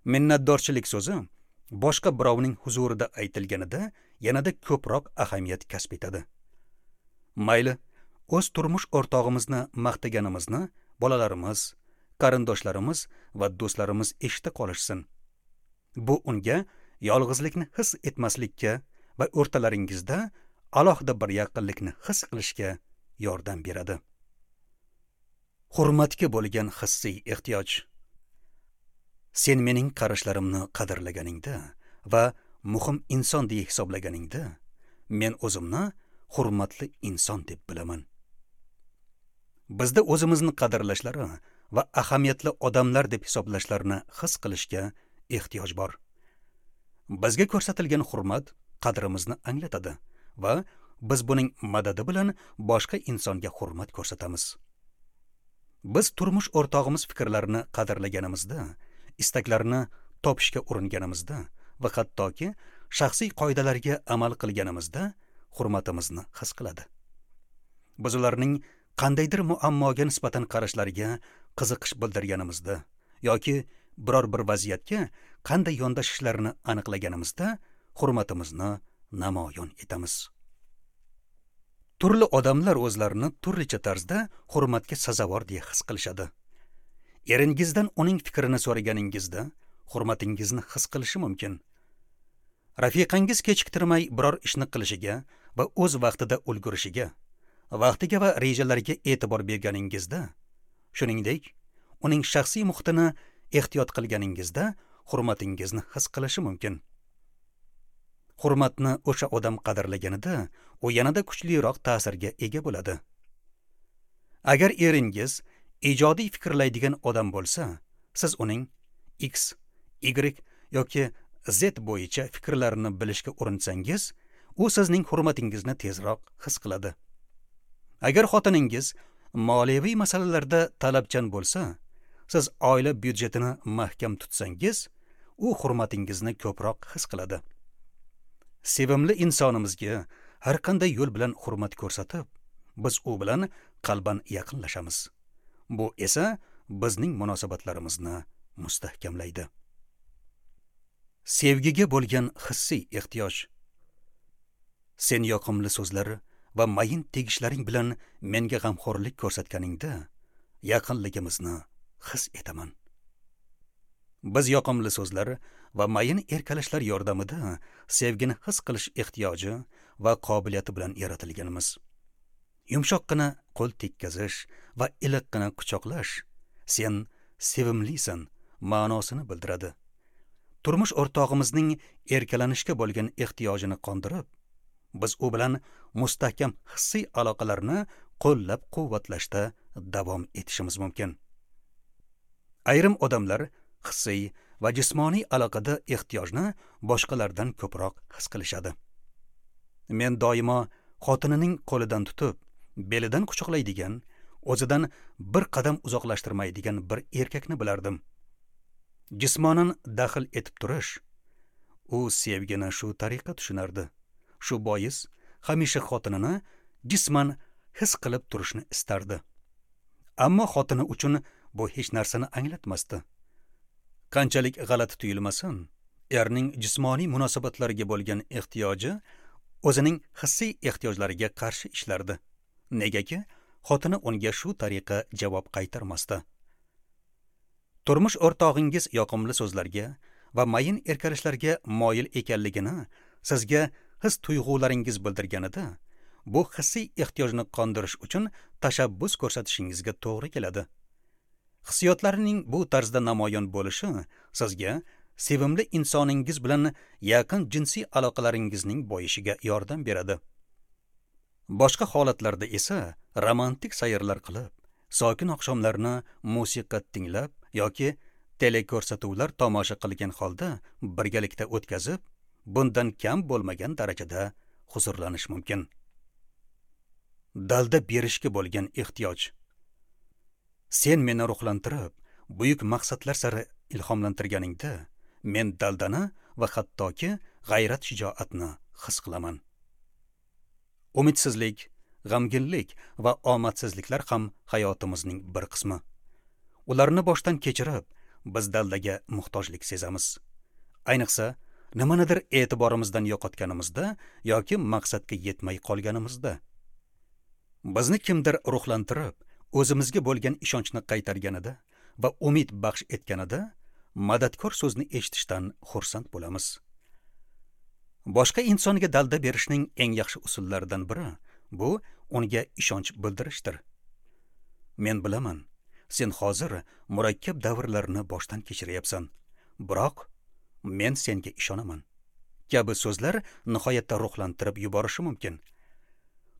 Minnatdorchilik so'zi boshqa birovning huzurida aytilganida yanada ko'proq ahamiyat kasb etadi. Mayli, o'z turmush o'rtog'imizni maqtaganimizni bolalarimiz, qarindoshlarimiz va do'stlarimiz eshita qolishsin. Bu unga yolg'izlikni his etmaslikka va o'rtalaringizda alohida bir yaqinlikni his qilishga yordam beradi. Hurmatga bo'lgan hissiy ehtiyoj. Sen mening qarashlarimni qadrlaganingda va muhim inson deya hisoblaganingda, men o'zimni hurmatli inson deb bilaman. Bizda o'zimizni qadrlashlari va ahamiyatli odamlar deb hisoblashlarini his qilishga ehtiyoj bor. Bizga ko'rsatilgan hurmat qadrimizni anglatadi va biz buning madadi bilan boshqa insonga hurmat ko'rsatamiz. Biz turmush o'rtog'imiz fikrlarini qadrlaganimizda, istaklarini topishga uringanimizda va hattoki shaxsiy qoidalarga amal qilganimizda hurmatimizni his qiladi. Biz ularning qandaydir muammoga nisbatan qarashlariga qiziqish bildirganimizda yoki biror bir vaziyatga qanday yondashishlarini aniqlaganimizda hurmatimizni namoyon etamiz. Turli odamlar o'zlarini turlicha tarzda hurmatga sazovor deya his qilishadi. Eringizdan uning fikrini so'raganingizda hurmatingizni his qilishi mumkin. Rafiqangiz kechiktirmay biror ishni qilishiga va o'z vaqtida ulgurishiga, vaqtiga va rejalariga e'tibor berganingizda, shuningdek, uning shaxsiy muhitini ehtiyot qilganingizda hurmatingizni his qilishi mumkin. Hurmatni o'sha odam qadrlaganida, u yanada kuchliroq ta'sirga ega bo'ladi. Agar eringiz ijodiy fikrlaydigan odam bo'lsa, siz uning X, Y yoki Z bo'yicha fikrlarini bilishga urinsangiz, u sizning hurmatingizni tezroq his qiladi. Agar xotiningiz moliyaviy masalalarda talabchan bo'lsa, siz oila byudjetini mahkam tutsangiz, u hurmatingizni ko'proq his qiladi. Sevimli insonimizga har qanday yo'l bilan hurmat ko'rsatib, biz u bilan qalban yaqinlashamiz. Bu esa bizning munosabatlarimizni mustahkamlaydi. Sevgiga bo'lgan hissiy ehtiyoj. Sen yoqimli so'zlar va mayin tegishlaring bilan menga g'amxo'rlik ko'rsatganingda yaqinligimizni his etaman. Biz yoqimli so'zlar va mayin erkalashlar yordamida sevgini his qilish ehtiyoji va qobiliyati bilan yaratilganmiz. Yumshoqqina qo'l tekkazish va iliqqina quchoqlash sen sevimlisan ma'nosini bildiradi. Turmush o'rtog'imizning erkalanishga bo'lgan ehtiyojini qondirib, biz u bilan mustahkam hissiy aloqalarni qo'llab-quvvatlashda davom etishimiz mumkin. Ayrim odamlar hissiy va jismoniy aloqada ehtiyojni boshqalardan ko'proq his qilishadi. Men doimo xotinining qo'lidan tutib, belidan quchoqlaydigan, o'zidan bir qadam uzoqlashtirmaydigan bir erkakni bilardim. Jismonan daxl etib turish, u sevgini shu tariqa tushunardi. Shu bois hamisha xotinini jisman his qilib turishni istardi. Ammo xotini uchun bu hech narsani anglatmasdi. Qanchalik g'alati tuyulmasin, erning jismoniy munosabatlarga bo'lgan ehtiyoji o'zining hissiy ehtiyojlariga qarshi ishlardi. Negaki xotini unga shu tariqa javob qaytarmasdi. Turmush o'rtog'ingiz yoqimli so'zlarga va mayin erkalashlarga moyil ekanligini sizga his tuyg'ularingiz bildirganida, bu hissiy ehtiyojni qondirish uchun tashabbus ko'rsatishingizga to'g'ri keladi. Hissiyotlarning bu tarzda namoyon bo'lishi sizga sevimli insoningiz bilan yaqin jinsiy aloqalaringizning boyishiga yordam beradi. Boshqa holatlarda esa romantik sayrlar qilib, sokin oqshomlarni musiqa tinglab yoki teleko'rsatuvlar tomosha qilgan holda birgalikda o'tkazib, bundan kam bo'lmagan darajada huzurlanish mumkin. Dalda berishga bo'lgan ehtiyoj. Sen meni ruhlantirib, buyuk maqsadlar sari ilhomlantirganingda, men daldani va hattoki g'ayrat shijoatni his qilaman. Umidsizlik, g'amginlik va omadsizliklar ham hayotimizning bir qismi. Ularni boshdan kechirib, biz daldaga muhtojlik sezamiz. Ayniqsa, nimanidir e'tiborimizdan yo'qotganimizda yoki maqsadga yetmay qolganimizda. Bizni kimdir ruhlantirib, o'zimizga bo'lgan ishonchni qaytarganida va umid baxsh etganida madadkor so'zni eshitishdan xursand bo'lamiz. Boshqa insonga dalda berishning eng yaxshi usullaridan biri bu unga ishonch bildirishdir. Men bilaman, sen hozir murakkab davrlarni boshdan kechiryapsan, biroq men senga ishonaman kabi so'zlar nihoyatda ruhlantirib yuborishi mumkin.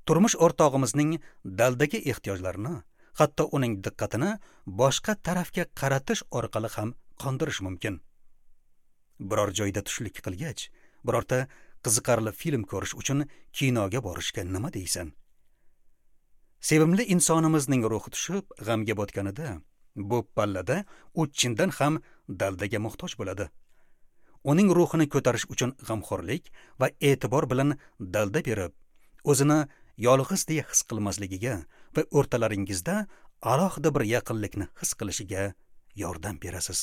Turmush o'rtog'imizning daldagi ehtiyojlarini, hatto uning diqqatini boshqa tarafga qaratish orqali ham qondirish mumkin. Biror joyda tushlik qilgach, birorta qiziqarli film ko'rish uchun kinoga borishga nima deysan? Sevimli insonimizning ruhi tushib, g'amga botganida, bu pallada u chindan ham daldaga muhtoj bo'ladi. Uning ruhini ko'tarish uchun g'amxo'rlik va e'tibor bilan dalda berib, o'zini yolg'iz deya his qilmasligiga va o'rtalaringizda alohida bir yaqinlikni his qilishiga yordam berasiz.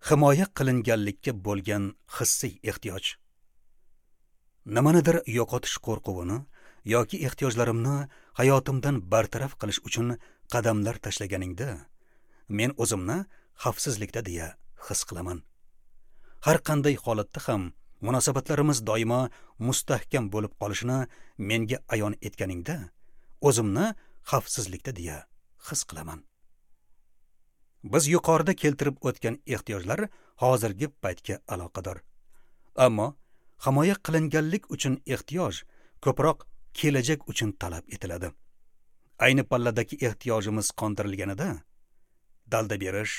Himoya qilinganlikka bo'lgan hissiy ehtiyoj. Nimanidir yo'qotish qo'rquvini yoki ehtiyojlarimni hayotimdan bartaraf qilish uchun qadamlar tashlaganingda, men o'zimni xavfsizlikda deya his qilaman. Har qanday holatda ham munosabatlarimiz doimo mustahkam bo'lib qolishini menga ayon etganingda, o'zimni xavfsizlikda deya his qilaman. Biz yuqorida keltirib o'tgan ehtiyojlar hozirgi paytga aloqador. Ammo himoya qilinganlik uchun ehtiyoj ko'proq kelajak uchun talab etiladi. Ayni palladagi ehtiyojimiz qondirilganida, dalda berish,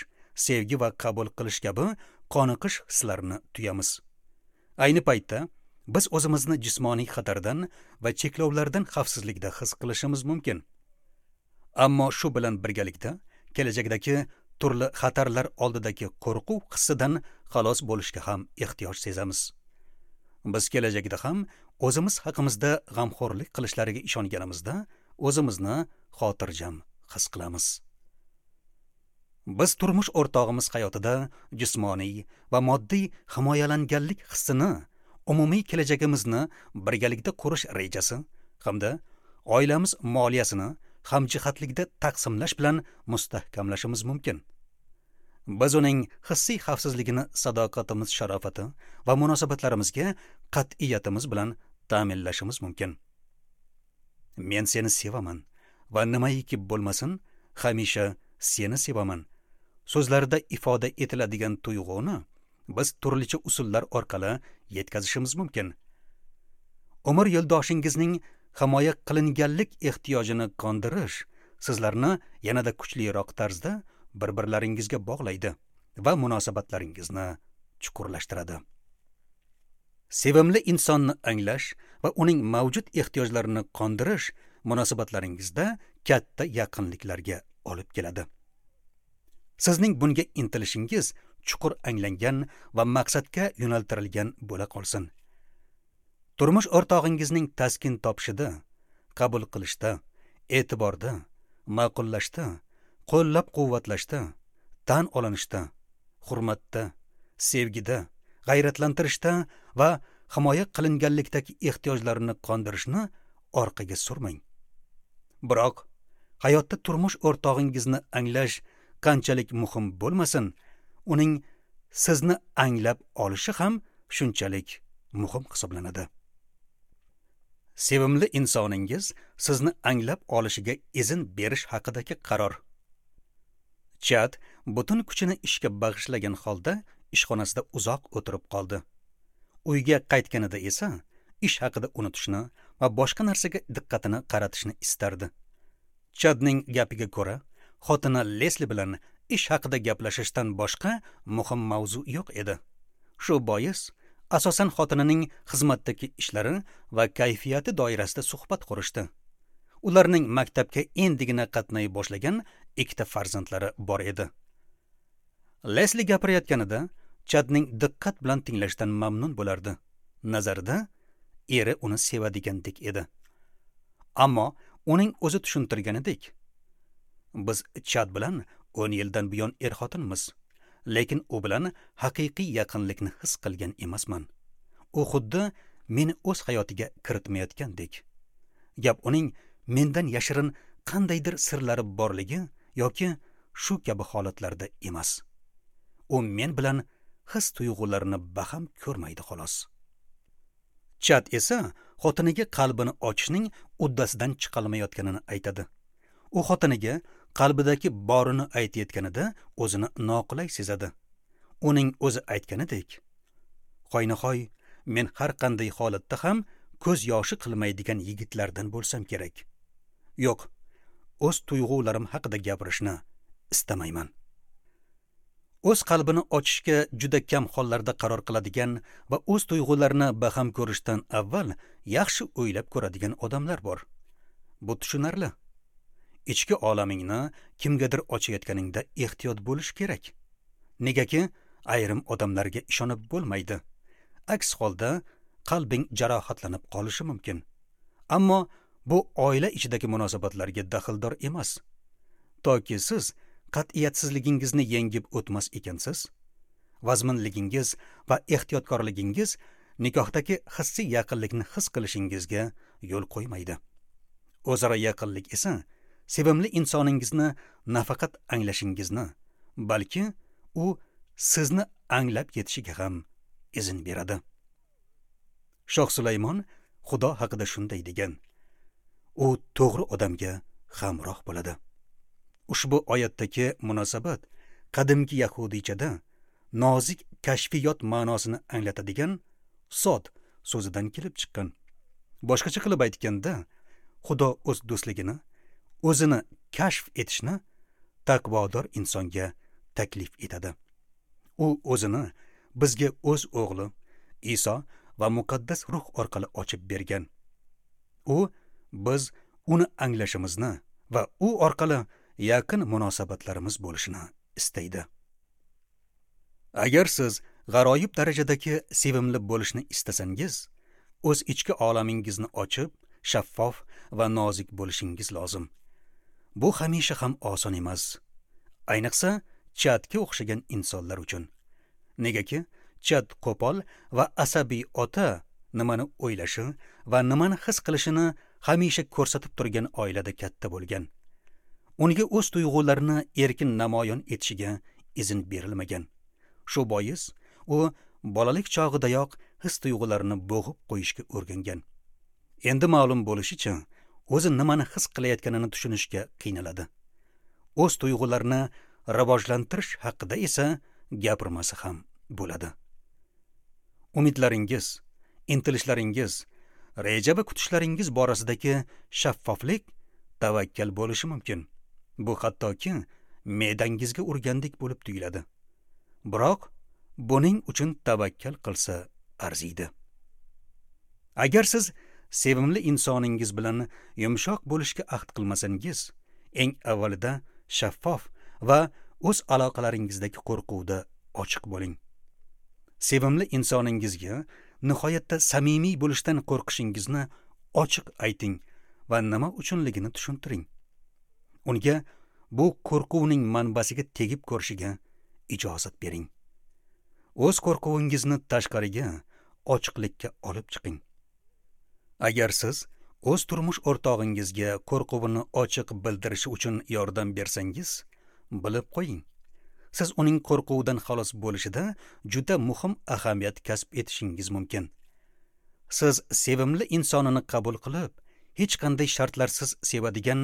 sevgi va qabul qilish kabi qoniqish hislarini tuyamiz. Ayni paytda biz o'zimizni jismoniy xatardan va cheklovlardan xavfsizlikda his qilishimiz mumkin. Ammo shu bilan birgalikda kelajakdagi turli xatarlar oldidagi qo'rquv hissidan xalos bo'lishga ham ehtiyoj sezamiz. Biz kelajakda ham o'zimiz haqimizda g'amxo'rlik qilishlariga ishonganimizda o'zimizni xotirjam his qilamiz. Biz turmush o'rtog'imiz hayotida jismoniy va moddiy himoyalanganlik hissini, umumiy kelajagimizni birgalikda qurish rejasi hamda oilamiz moliyasini hamjihatlikda taqsimlash bilan mustahkamlashimiz mumkin. Biz uning hissiy xavfsizligini sadoqatimiz sharofati va munosabatlarimizga qat'iyatimiz bilan ta'minlashimiz mumkin. Men seni sevaman va nimaiki bo'lmasin, hamisha seni sevaman so'zlarida ifoda etiladigan tuyg'uni biz turlicha usullar orqali yetkazishimiz mumkin. Umr yo'ldoshingizning himoya qilinganlik ehtiyojini qondirish sizlarni yanada kuchliroq tarzda bir-birlaringizga bog'laydi va munosabatlaringizni chuqurlashtiradi. Sevimli insonni anglash va uning mavjud ehtiyojlarini qondirish munosabatlaringizda katta yaqinliklarga olib keladi. Sizning bunga intilishingiz chuqur anglangan va maqsadga yo'naltirilgan bo'la qolsin. Turmush o'rtog'ingizning taskin topishida, qabul qilishda, e'tiborda, ma'qullashda, qo'llab-quvvatlashda, tan olinishda, hurmatda, sevgida, g'ayratlantirishda va himoya qilinganlikdagi ehtiyojlarini qondirishni orqaga surmang. Biroq hayotda turmush o'rtog'ingizni anglash qanchalik muhim bo'lmasin, uning sizni anglab olishi ham shunchalik muhim hisoblanadi. Sevimli insoningiz sizni anglab olishiga izn berish haqidagi qaror. Chad butun kuchini ishga bag'ishlagan holda ishxonasida uzoq o'tirib qoldi. Uyga qaytganida esa ish haqida unutishni va boshqa narsaga diqqatini qaratishni istardi. Chadning gapiga ko'ra, xotini Lesli bilan ish haqida gaplashishdan boshqa muhim mavzu yo'q edi. Shu bois asosan xotinining xizmatdagi ishlari va kayfiyati doirasida suhbat qurishdi. Ularning maktabga endigina qatnay boshlagan ikkita farzandlari bor edi. Lesli gapirayotganida Chadning diqqat bilan tinglashdan mamnun bo'lardi. Nazarida eri uni sevadigandek edi. Ammo uning o'zi tushuntirganidek, biz Chad bilan 10 yildan buyon er-xotinmiz, lekin u bilan haqiqiy yaqinlikni his qilgan emasman. U xuddi meni o'z hayotiga kiritmayotgandek. Gap uning mendan yashirin qandaydir sirlari borligi yoki shu kabi holatlarda emas. U men bilan his tuyg'ularini baham ko'rmaydi xolos. Chad esa xotiniga qalbini ochishning uddasidan chiqolmayotganini aytadi. U xotiniga qalbidagi borini aytayotganida o'zini noqulay sezadi. Uning o'zi aytganidek, "Hoynahoy, men har qanday holatda ham ko'z yoshi qilmaydigan yigitlardan bo'lsam kerak. Yo'q, o'z tuyg'ularim haqida gapirishni istamayman." O'z qalbini ochishga juda kam hollarda qaror qiladigan va o'z tuyg'ularini baham ko'rishdan avval yaxshi o'ylab ko'radigan odamlar bor. Bu tushunarli. Ichki olamingni kimgadir ochayotganingda ehtiyot bo'lish kerak. Negaki ayrim odamlarga ishonib bo'lmaydi. Aks holda qalbing jarohatlanib qolishi mumkin. Ammo bu oila ichidagi munosabatlarga daxldor emas. Toki siz qat'iyatsizligingizni yengib o'tmas ekansiz, vazminligingiz va ehtiyotkorligingiz nikohdagi hissiy yaqinlikni his qilishingizga yo'l qo'ymaydi. O'zaro yaqinlik esa sevimli insoningizni nafaqat anglashingizni, balki u sizni anglab yetishiga ham izn beradi. Shoh Sulaymon Xudo haqida shunday degan: "U to'g'ri odamga hamroh bo'ladi." Ushbu oyatdagi munosabat qadimgi yahudiychada nozik kashfiyot ma'nosini anglatadigan sod so'zidan kelib chiqqan. Boshqacha qilib aytganda, Xudo o'z do'stligini, o'zini kashf etishni taqvodor insonga taklif etadi. U o'zini bizga o'z o'g'li Iso va muqaddas ruh orqali ochib bergan. U biz uni anglashimizni va u orqali yaqin munosabatlarimiz bo'lishini istaydi. Agar siz g'aroyib darajadagi sevimli bo'lishni istasangiz, o'z ichki olamingizni ochib, shaffof va nozik bo'lishingiz lozim. Bu hamisha ham oson emas. Ayniqsa Chadga o'xshagan insonlar uchun. Negaki Chad qo'pol va asabiy ota nimani o'ylashi va nimani his qilishini hamisha ko'rsatib turgan oilada katta bo'lgan. Unga o'z tuyg'ularini erkin namoyon etishiga izn berilmagan. Shu bois u bolalik chog'idayoq his tuyg'ularini bo'g'ib qo'yishga o'rgangan. Endi ma'lum bo'lishicha, o'zi nimani his qilayotganini tushunishga qiynaladi. O'z tuyg'ularini rivojlantirish haqida esa gapirmasa ham bo'ladi. Umidlaringiz, intilishlaringiz, reja va kutishlaringiz borasidagi shaffoflik tavakkal bo'lishi mumkin. Bu hattoki me'dangizga urgandek bo'lib tuyuladi. Biroq buning uchun tavakkal qilsa arziydi. Agar siz sevimli insoningiz bilan yumshoq bo'lishga ahd qilmasangiz, eng avvalida shaffof va o'z aloqalaringizdagi qo'rquvda ochiq bo'ling. Sevimli insoningizga nihoyatda samimiy bo'lishdan qo'rqishingizni ochiq ayting va nima uchunligini tushuntiring. Unga bu qo'rquvning manbasiga tegib ko'rishiga ijozat bering. O'z qo'rquvingizni tashqariga, ochiqlikka olib chiqing. Agar siz o'z turmush o'rtog'ingizga qo'rquvini ochiq bildirishi uchun yordam bersangiz, Bilib qo'ying, siz uning qo'rquvdan xalos bo'lishida juda muhim ahamiyat kasb etishingiz mumkin. Siz sevimli insonini qabul qilib, hech qanday shartlarsiz sevadigan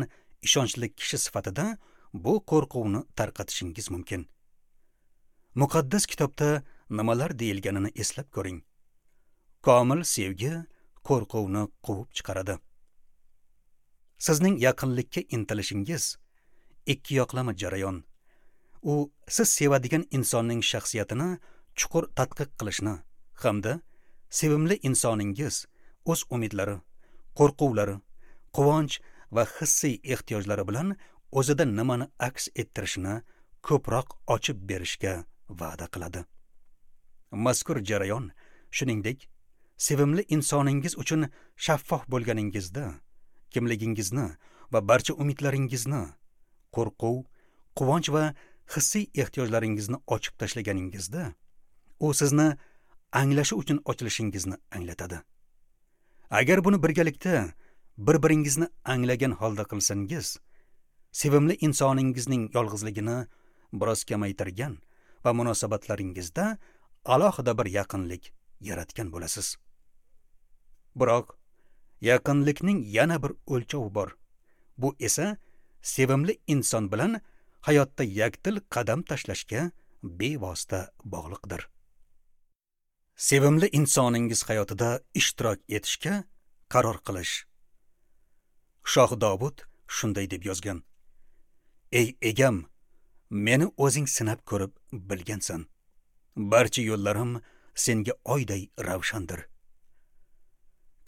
ishonchli kishi sifatida bu qo'rquvni tarqatishingiz mumkin. Muqaddas kitobda nimalar deyilganini eslab ko'ring. Komil sevgi qo'rquvni quvib chiqaradi. Sizning yaqinlikka intilishingiz ikki yoqlama jarayon. U siz sevadigan insonning shaxsiyatini chuqur tadqiq qilishni hamda sevimli insoningiz o'z umidlari, qo'rquvlari, quvonch va hissiy ehtiyojlari bilan o'zida nimani aks ettirishini ko'proq ochib berishga va'da qiladi. Mazkur jarayon, shuningdek, sevimli insoningiz uchun shaffof bo'lganingizda, kimligingizni va barcha umidlaringizni, qo'rquv, quvonch va hissiy ehtiyojlaringizni ochib tashlaganingizda, u sizni anglashi uchun ochilishingizni anglatadi. Agar buni birgalikda bir-biringizni anglagan holda qilsangiz, sevimli insoningizning yolg'izligini biroz kamaytirgan va munosabatlaringizda alohida bir yaqinlik yaratgan bo'lasiz. Biroq yaqinlikning yana bir o'lchovi bor. Bu esa sevimli inson bilan hayotda yakdil qadam tashlashga bevosita bog'liqdir. Sevimli insoningiz hayotida ishtirok etishga qaror qilish. Shoh Dovud shunday deb yozgan: Ey egam, meni o'zing sinab ko'rib bilgansan. Barcha yo'llarim senga oyday ravshandir.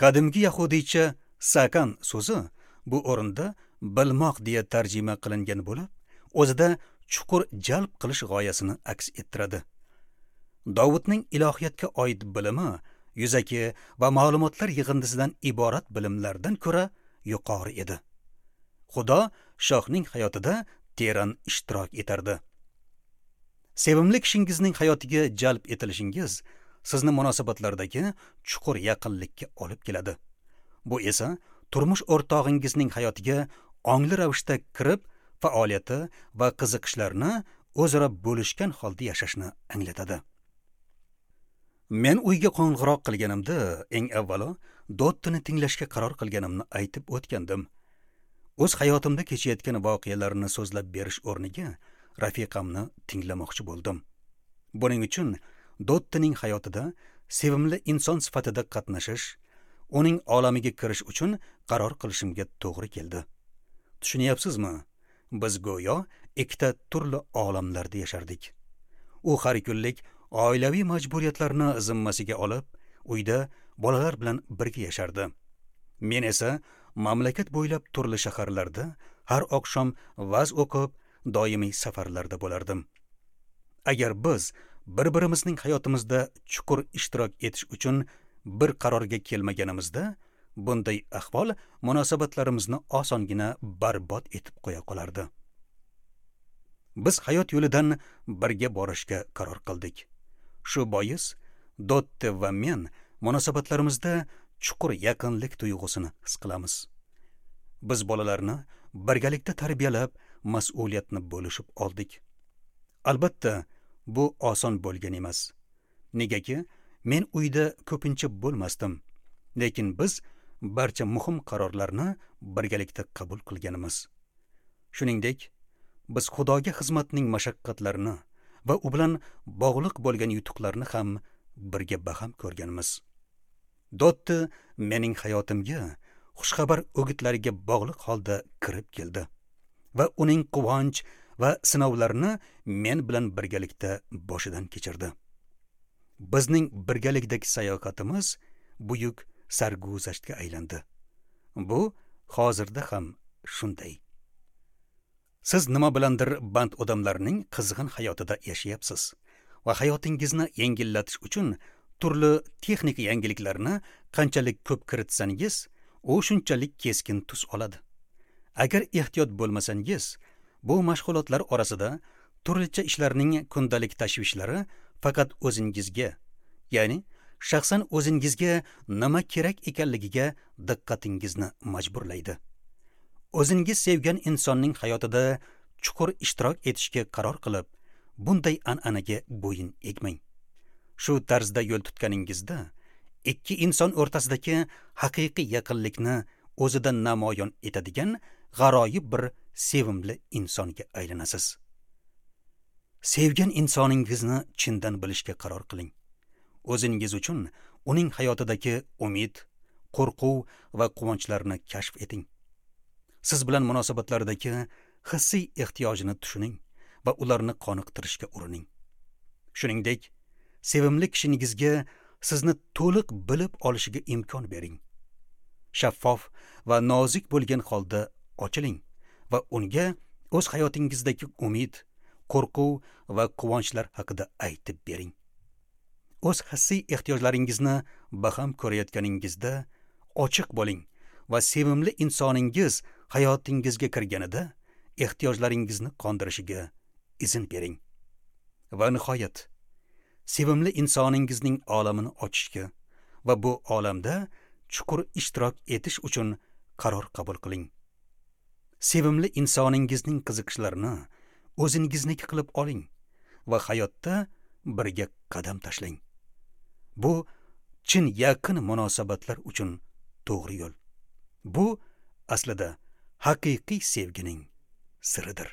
Qadimgi yahudiycha sakan so'zi bu o'rinda bilmoq deya tarjima qilingan bo'lib, o'zida chuqur jalb qilish g'oyasini aks ettiradi. Dovudning ilohiyatga oid bilimi yuzaki va ma'lumotlar yig'indisidan iborat bilimlardan ko'ra yuqori edi. Xudo shohning hayotida teran ishtirok etardi. Sevimli kishingizning hayotiga jalb etilishingiz sizni munosabatlardagi chuqur yaqinlikka olib keladi. Bu esa turmush o'rtog'ingizning hayotiga ongli ravishda kirib, faoliyati va qiziqishlarini o'zaro bo'lishgan holda yashashni anglatadi. Men uyga qo'ng'iroq qilganimda eng avvalo Dottini tinglashga qaror qilganimni aytib o'tgandim. O'z hayotimda kechayotgan voqealarni so'zlab berish o'rniga rafiqamni tinglamoqchi bo'ldim. Buning uchun Dottining hayotida sevimli inson sifatida qatnashish, uning olamiga kirish uchun qaror qilishimga to'g'ri keldi. Tushunyapsizmi? Biz go'yo ikkita turli olamlarda yashardik. U har kunlik oilaviy majburiyatlarni zimmasiga olib, uyda bolalar bilan birga yashardi. Men esa mamlakat bo'ylab turli shaharlarda har oqshom va'z o'qib, doimiy safarlarda bo'lardim. Agar biz bir-birimizning hayotimizda chuqur ishtirok etish uchun bir qarorga kelmaganimizda, bunday ahvol munosabatlarimizni osongina barbod etib qo'ya qolardi. Biz hayot yo'lidan birga borishga qaror qildik. Shu bois Dotti va men munosabatlarimizda chuqur yaqinlik tuyg'usini his qilamiz. Biz bolalarni birgalikda tarbiyalab, mas'uliyatni bo'lishib oldik. Albatta, bu oson bo'lgan emas. Negaki, men uyda ko'pincha bo'lmasdim, lekin biz barcha muhim qarorlarni birgalikda qabul qilganimiz. Shuningdek, biz Xudoga xizmatning mashaqqatlarini va u bilan bog'liq bo'lgan yutuqlarni ham birga baham ko'rganmiz. Dotti mening hayotimga xushxabar o'gitlariga bog'liq holda kirib keldi va uning quvonch va sinovlarini men bilan birgalikda boshidan kechirdi. Bizning birgalikdagi sayohatimiz buyuk sarguzashtga aylandi. Bu hozirda ham shunday. Siz nima bilandir band odamlarning qizg'in hayotida yashayapsiz va hayotingizni yengillatish uchun turli texnik yangiliklarni qanchalik ko'p kiritsangiz, u shunchalik keskin tus oladi. Agar ehtiyot bo'lmasangiz, bu mashg'ulotlar orasida turlicha ishlarning kundalik tashvishlari faqat o'zingizga, ya'ni shaxsan o'zingizga nima kerak ekanligiga diqqatingizni majburlaydi. O'zingiz sevgan insonning hayotida chuqur ishtirok etishga qaror qilib, bunday an'anaga bo'yin egmang. Shu tarzda yo'l tutganingizda ikki inson o'rtasidagi haqiqiy yaqinlikni o'zida namoyon etadigan g'aroyib bir sevimli insonga aylanasiz. Sevgan insoningizni chindan bilishga qaror qiling. O'zingiz uchun uning hayotidagi umid, qo'rquv va quvonchlarni kashf eting. Siz bilan munosabatlardagi hissiy ehtiyojini tushuning va ularni qoniqtirishga urining. Shuningdek, sevimli kishingizga sizni to'liq bilib olishiga imkon bering. Shaffof va nozik bo'lgan holda ochiling va unga o'z hayotingizdagi umid, qo'rquv va quvonchlar haqida aytib bering. O'z hissiy ehtiyojlaringizni baham ko'rayotganingizda ochiq bo'ling va sevimli insoningiz hayotingizga kirganida ehtiyojlaringizni qondirishiga izn bering. Va nihoyat, sevimli insoningizning olamini ochishga va bu olamda chuqur ishtirok etish uchun qaror qabul qiling. Sevimli insoningizning qiziqishlarini o'zingizniki qilib oling va hayotda birga qadam tashlang. Bu chin yaqin munosabatlar uchun to'g'ri yo'l. Bu aslida haqiqiy sevgining siridir.